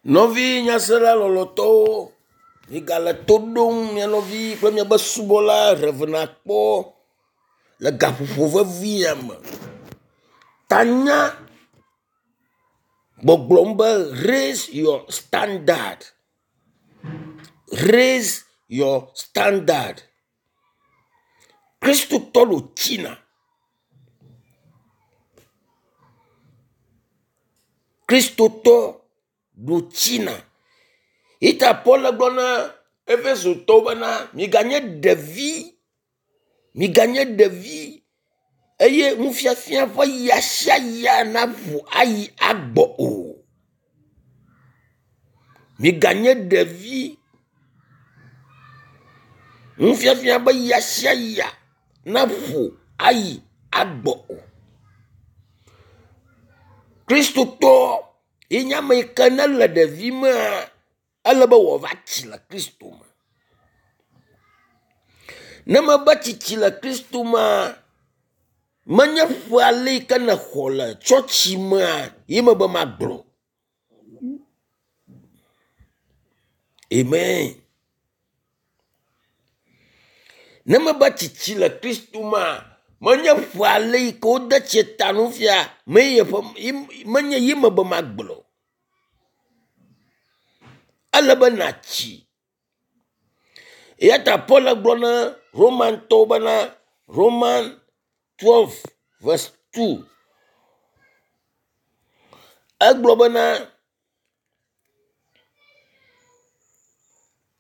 Nɔvi nyasela lɔlɔtɔwo, migale to ɖom mia nɔvi kple miaƒe subɔla Rev. Akpɔ le gaƒoƒo vevi ya me. Tanya gbɔgblɔm be raise your standard. Raise your standard. Kristotɔ ɖo tsina. Kristotɔ ɖo tsina. Yi ta Paul gblɔ na Efesotɔwo bena miganye ɖevi, miganye ɖevi eye nufiafia ƒe ya sia ya naƒo ayi agbɔ o. Miganye ɖevi. Nufiafia ƒe ya sia ya naƒo ayi agbɔ o. Kristotɔ ye nye ame yi ke ne le ɖevimea, ele be wòava tsi le Kristo me. Ne mebe tsitsi le Kristo mea, menye ƒe ale yi ke nexɔ le tsɔtsi mea ye mebe magblɔ. Amen. Ne mebe tsitsi le Kristo mea, menye ƒe ale yi ke wode tsi ta nu fia menye menye ye mebe magblɔ. Ele be natsi. Eya ta Paul gblɔ na Romantɔwo bena Roman 12 verse 2. Egblɔ bena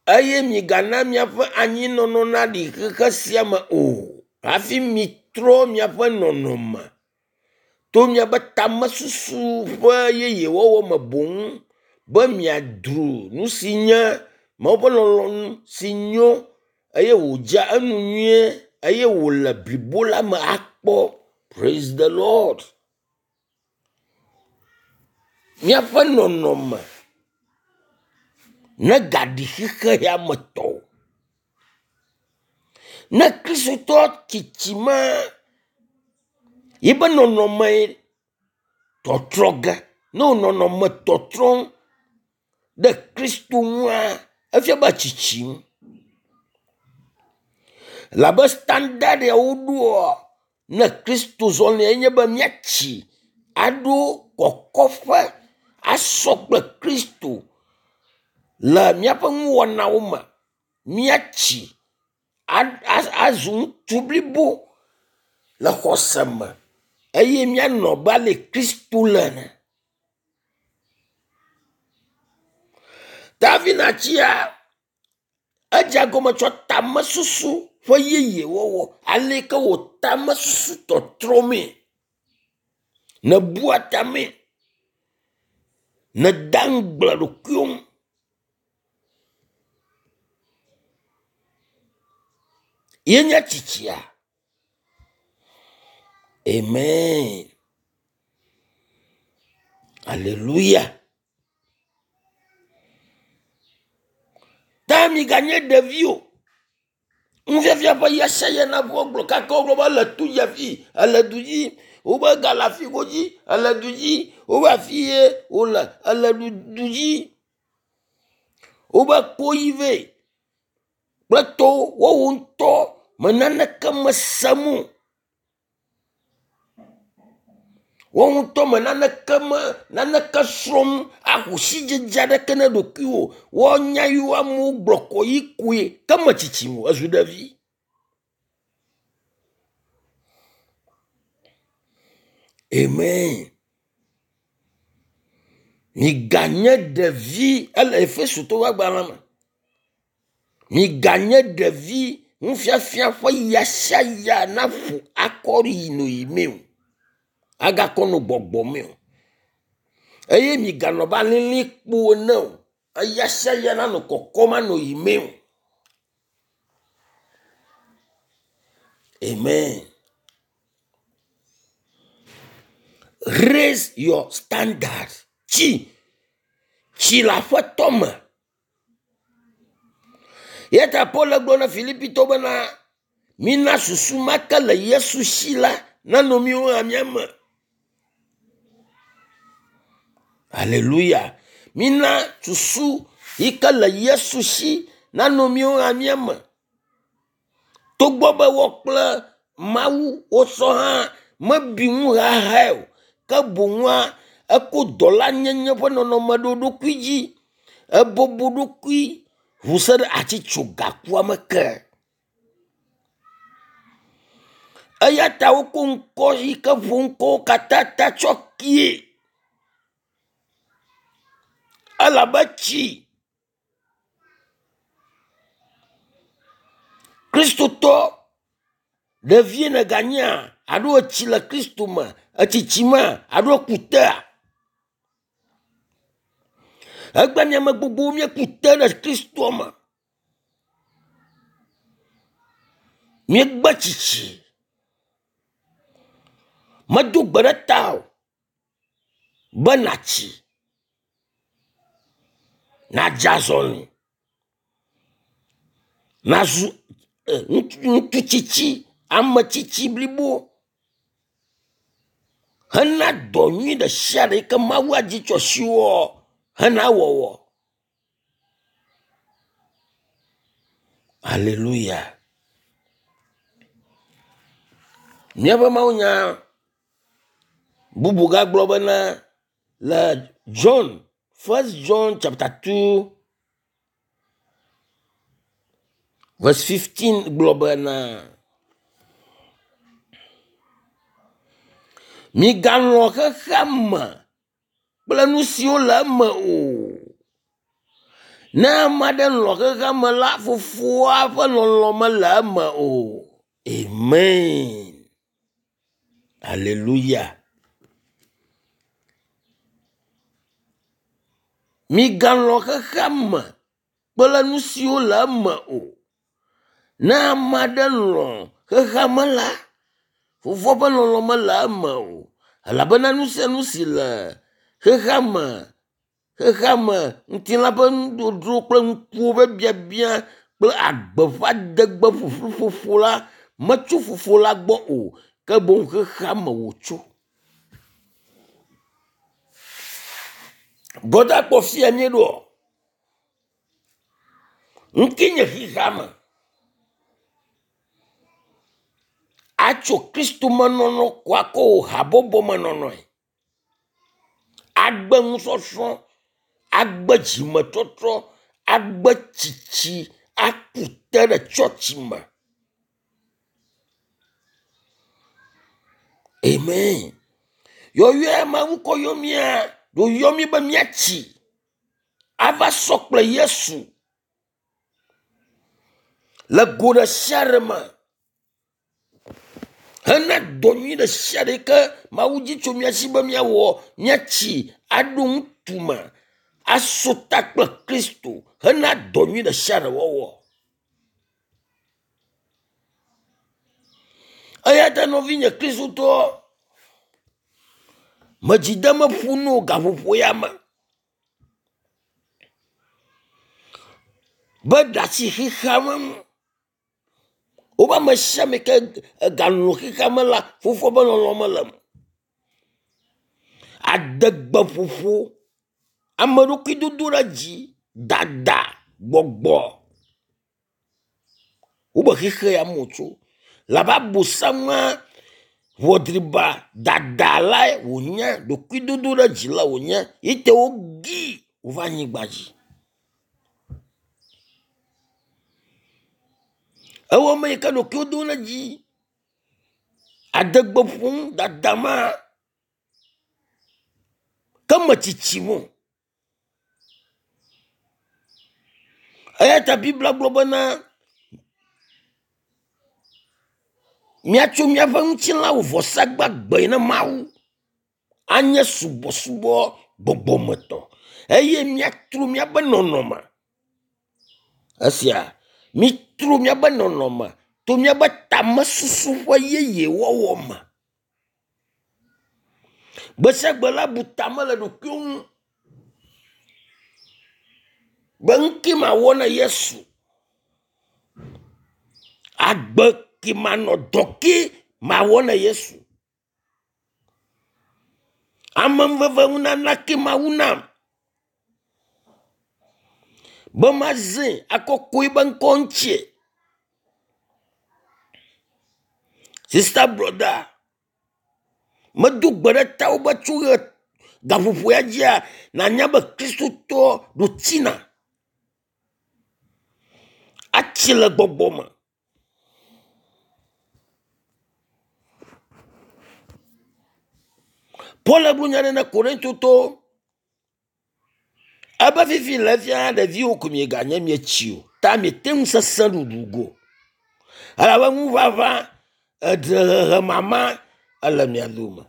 eye migana miaƒe anyinɔnɔ naɖi xexe sia me o hafi mitrɔ miaƒe nɔnɔme to miaƒe tamesusu ƒe yeyewɔwɔ me boŋ be miadro nu si nye Mawu ƒe lɔlɔ̃nu si nyo eye wòdze enu nyuie eye wòle blibo la me akpɔ. Praise the Lord. Míaƒe nɔnɔme negaɖi xexe ya me tɔ o. Ne Kristotɔ tsitsi ma yiƒe nɔnɔme tɔtrɔ ge. Ne wò nɔnɔme tɔtrɔm ɖe Kristo ŋua, efia be tsitsim. Labe standard ya woɖoa ne Kristo zɔlia enye be míatsi aɖo kɔkɔƒe asɔ kple Kristo le míaƒe nuwɔnawo me. Míatsi azu ŋutsu blibo le xɔse me eye míanɔ abe ale Kristo le ene. David natsia edze egɔme tsɔ tamesusu ƒe yeyewɔwɔ ale ke wò tamesusu tɔtrɔ mee. Nèbua tamee. Nèda ŋugble ɖokuiwò ŋu. Ye nye tsitsia. Amen. Aleluya. Ta miganye ɖevi o. Nufiafia ƒe ya sia ya na ƒu gblɔ kaka wogblɔ be ele tu dzi afi, ele du dzi, wobe gale afi godzi, ele du dzi, wobe afi ye wole, ele du dzi. Wobe kpoyi vɛ kple tɔwo woawo ŋutɔ me naneke mesem o. Woawo ŋutɔ me naneke me naneke srɔ̃m axɔ sidzedze aɖeke ne ɖokuiwò. Woanya yiwo amewo gblɔ kɔ yi koe ke metsitsi o ezu ɖevi. Amen. Miganye ɖevi ele Efesotɔwo ƒe agbalẽ me. Miganye ɖevi nufiafia ƒe ya sia ya naƒo akɔ yi no yi me o. Agakɔ no gbɔgbɔ me o. Eye miganɔ abe alilikpo ene o. Eya sia ya nanɔ kɔkɔm anɔ yi me o. Amen. Raise your standard. Tsi. Tsi le aƒetɔ me. Eya ta Paul gblɔ na Filipitɔwo bena mina susu ma ke le Yesu si la nanɔ míwo hã mía me. Aleluya. Mina susu yi ke le Yesu si nanɔ míawo hã mía me. Togbɔ be wɔ kple Mawu wosɔ hã mebi ŋu hahae o, ke boŋua eko dɔlanyenye ƒe nɔnɔme ɖo ɖokui dzi. Ebɔbɔ ɖokui ʋu se ɖe atitsogakua me ke. Eya ta woko ŋkɔ yi ke ƒo ŋkɔwo katã ta tsɔ kie. Elabe tsi Kristotɔ ɖevie nèganyea alo etsi le Kristo me etsitsimea alo eku tea. Egbe mi ame gbogbowo míeku te ɖe Kristoa me. Míegbe tsitsi. Medo gbe ɖe ta o be nàtsi, nàdze azɔli, nàzu ŋutsu tsitsi, ame tsitsi blibo hena dɔ nyui ɖe sia ɖe yi ke Mawu adi tso asiwò hena wɔwɔ. Aleluya. Míaƒe mawunya bubu gagblɔ bena le John, First John chapter 2 verse 15 gblɔ bena migalɔ̃ xexea me kple nu siwo le eme o. Ne ame aɖe lɔ̃ xexea me la, fofoa ƒe lɔlɔ̃ mele eme o. Amen. Aleluya. Migalɔ̃ xexea me kple nu siwo le eme o. Ne ame aɖe lɔ̃ xexea me la, fofoa ƒe lɔlɔ̃ mele eme o. Elabena nu sia nu si le xexea me, xexea me ŋutilã ƒe nuɖoɖo kple ŋkuwo ƒe biabia kple agbe ƒe adegbe ƒuƒlu la metso fofo la gbɔ o, ke boŋ xexea me wòtso. Brɔda kpɔ fia míeɖoa? Ŋke nye xexea me. Atso Kristo me nɔnɔ ko akɔ wò habɔbɔ me nɔnɔe. Agbe nusɔsrɔ̃, agbe dzimetɔtrɔ, agbe tsitsi, aku te ɖe tsɔtsi me. Amen. Yɔyɔe Mawu kɔ yɔ mía, ɖo yɔ mí be míatsi ava sɔ kple Yesu le go ɖe sia ɖe me hena dɔ nyui ɖe sia ɖe ke Mawu dzi tso mía si be míawɔ, míatsi aɖo ŋutu me aso ta kple Kristo hena dɔ nyui ɖe sia ɖe wɔwɔ. Eya ta nɔvinye Kristotɔ, medzi de meƒu no gaƒoƒo ya me be ɖe asi xexea me ŋu. Wobe ame sia ame ke egalũ xexea me la, fofoa ƒe lɔlɔ̃ mele eme. Adegbeƒoƒo, ame ɖokui dodo ɖe dzi, dada, gbɔgbɔ. Wobe xexe ya me wòtso. Labe abosamua ʋɔdriba dada lae wònye, ɖokuidodo ɖe dzi la wònye. Ye te wogii wòva anyigba dzi. Ewɔ ame yi ke ɖokuiwo dom ɖe dzi, adegbe ƒom dada ma ke me tsitsim o. Eya ta Biblia gblɔ bena míatso míaƒe ŋutilã wɔ vɔsa gbagbe na Mawu anye subɔsubɔ gbɔgbɔmetɔ eye míatro míaƒe nɔnɔme. Esia mitro míaƒe nɔnɔme to míaƒe tamesusu ƒe yeye wɔwɔ me. Gbe sia gbe la bu tame le ɖokuiwo ŋu be nu ke mawɔ na Yesu, agbe ke manɔ, dɔ ke mawɔ na Yesu, amenuveve nunana ke Mawu nam. Be mazẽ akɔkɔe be ŋkɔ ŋutie. Sista brɔda, medo gbe ɖe tawò be tso ɣe gaƒoƒo ya dzia, nànya be Kristotɔ ɖo tsina atsi le gbɔgbɔ me. Paul gblɔ nya ɖe na Korintotɔwo ebe fifi le efia ɖeviwo ko mieganye mietsi o ta miete ŋu sesẽ ɖuɖu go. Elabe ŋuʋaʋã, edrehehe mama ele mia dome.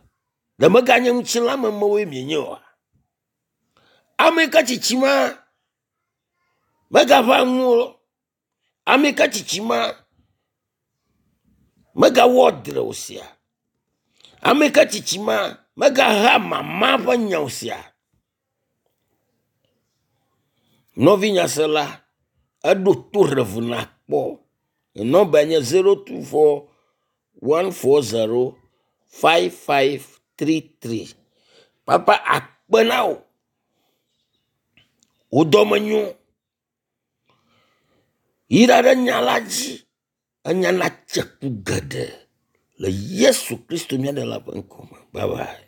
Ɖe meganye ŋutilãmemewoe mienye oa? Ame yi ke tsitsi ma megaʋã ŋu o. Ame yi ke tsitsi ma megawɔ dre o sia. Ame yi ke tsitsi ma megaha mama ƒe nya o sia. Nɔvi nyasela, eɖo to rev nakpɔ. Nɔmba nye 024 140 5533. Papa akpe na wò. Wò dɔme nyo. Yra ɖe nya la dzi. Enya natse ku geɖe le Yesu Kristo mía Ɖela ƒe ŋkɔ me. Bye bye.